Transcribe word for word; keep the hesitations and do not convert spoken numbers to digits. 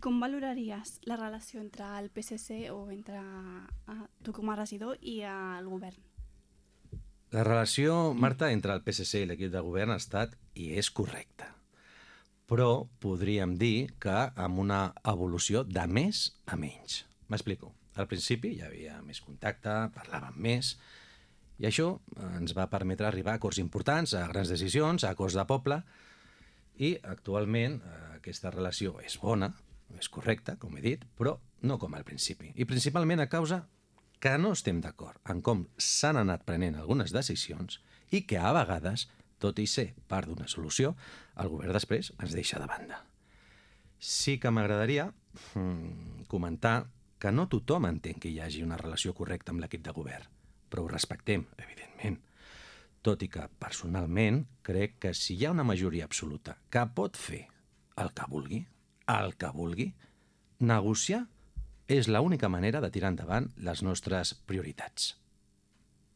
Com valoraries la relació entre el P S C o entre uh, tu com a regidor i uh, el govern? La relació, Marta, entre el P S C i l'equip de govern ha estat i és correcta. Però podríem dir que amb una evolució de més a menys. M'explico. Al principi hi havia més contacte, parlàvem més, i això ens va permetre arribar a acords importants, a grans decisions, a acords de poble, i actualment eh, aquesta relació és bona, és correcta, com he dit, però no com al principi. I principalment a causa que no estem d'acord en com s'han anat prenent algunes decisions i que a vegades, tot i ser part d'una solució, el govern després ens deixa de banda. Sí que m'agradaria hmm, comentar que no tothom entén que hi hagi una relació correcta amb l'equip de govern, però ho respectem, evidentment. Tot i que, personalment, crec que si hi ha una majoria absoluta que pot fer el que vulgui, el que vulgui, negociar és l'única manera de tirar endavant les nostres prioritats.